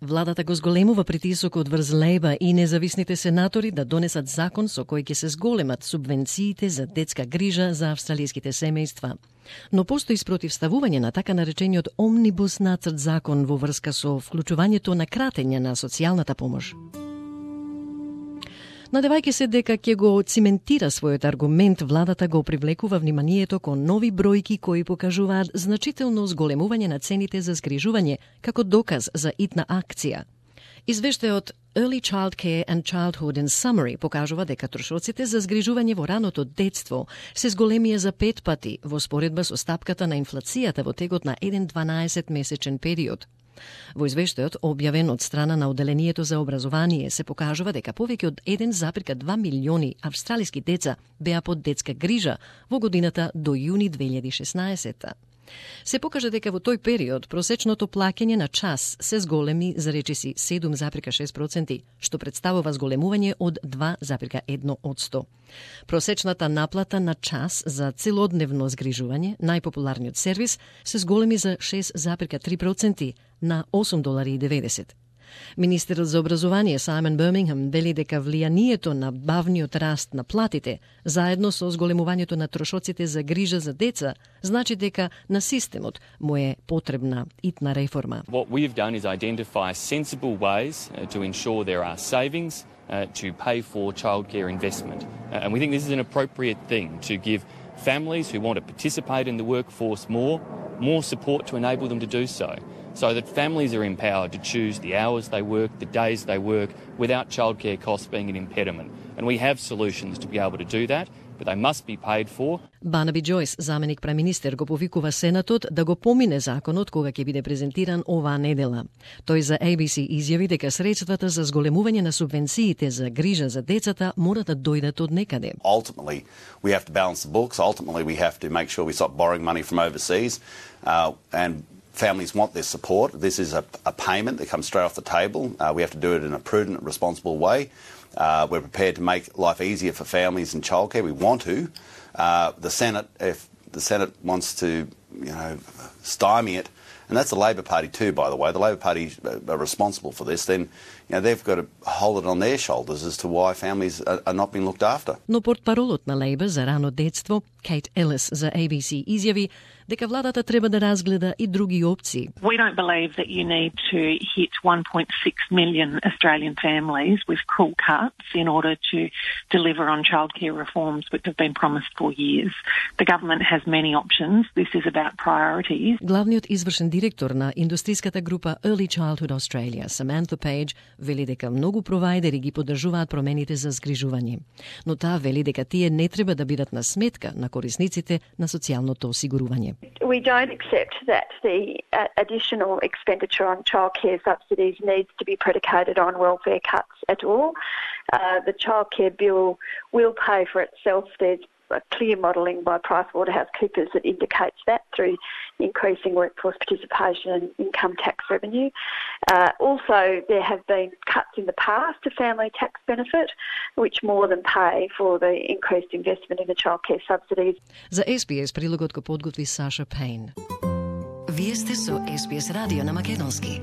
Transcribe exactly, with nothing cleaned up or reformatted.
Владата го зголемува притисокот врз Лејба и независните сенатори да донесат закон со кој ќе се зголемат субвенциите за детска грижа за австралиските семејства. Но постои спротивставување на така наречениот омнибус нацрт закон во врска со вклучувањето на кратење на социјалната помош. Надевајќи се дека ќе го циментира својот аргумент, владата го привлекува вниманието кон нови бројки кои покажуваат значително зголемување на цените за згрижување како доказ за итна акција. Извештајот Early Child Care and Childhood in Summary покажува дека трошоците за згрижување во раното детство се зголемија за пет пати во споредба со стапката на инфлацијата во текот на еден дванаесет-месечен период. Во извештајот, објавен од страна на Оделението за образование, се покажува дека повеќе од еден запир два милиони австралиски деца беа под детска грижа во годината до јуни две илјади и шеснаесета. Се покажа дека во тој период просечното плаќање на час се зголеми за речиси седум запир шест проценти, што представува зголемување од два запир едно одсто. Просечната наплата на час за целодневно згрижување, најпопуларниот сервис, се зголеми за шест запир три проценти на осум долари и деветдесет. Министерот за образование Сајмон Бирмингем вели дека влијанието на бавниот раст на платите, заедно со зголемувањето на трошоците за грижа за деца, значи дека на системот му е потребна итна реформа. What we've done is identify sensible ways to ensure there are savings uh, to pay for childcare investment. Uh, and we think this is an appropriate thing to give families who want to participate in the workforce more, more support to enable them to do so. So that families are empowered to choose the hours they work, the days they work, without childcare costs being an impediment. And we have solutions to be able to do that, but they must be paid for. Барнаби Џојс, заменик преминистер, го повикува Сенатот да го помине законот кога ќе биде презентиран оваа недела. Тој за A B C изјави дека средствата за зголемување на субвенциите за грижа за децата мора да дојдат од некаде. Ultimately, we have to balance the books. Ultimately, we have to make sure we stop borrowing money from overseas. Uh, and Families want their support. This is a, a payment that comes straight off the table. Uh, we have to do it in a prudent, responsible way. Uh, we're prepared to make life easier for families in childcare. We want to. Uh, the Senate, if the Senate wants to, you know, stymie it, and that's the Labor Party too, by the way. The Labor Party are responsible for this. Then, you know, they've got to hold it on their shoulders as to why families are, are not being looked after. Но портпаролот на Лейбър за рано детство, Кейт Елис за A B C изјави дека владата треба да разгледа и други опции. We don't believe that you need to hit one point six million Australian families with cruel cuts in order to deliver on childcare reforms which have been promised for years. The government has many options. This is about priorities. Главниот извршен директор на индустриската група Early Childhood Australia, Samantha Page, вели дека многу провајдери ги поддржуваат промените за згрижување. Но таа вели дека тие не треба да бидат на сметка на корисниците на социјалното осигурување. We don't accept that the uh, additional expenditure on childcare subsidies needs to be predicated on welfare cuts at all. Uh, the childcare bill will pay for itself. There's a clear modelling by PricewaterhouseCoopers that indicates that through increasing workforce participation and income tax revenue. Uh, also, there have been cuts in the past to family tax benefit, which more than pay for the increased investment in the childcare subsidies. За S B S прилогот го подготви Саша Пейн. Вие сте со S B S радио на македонски.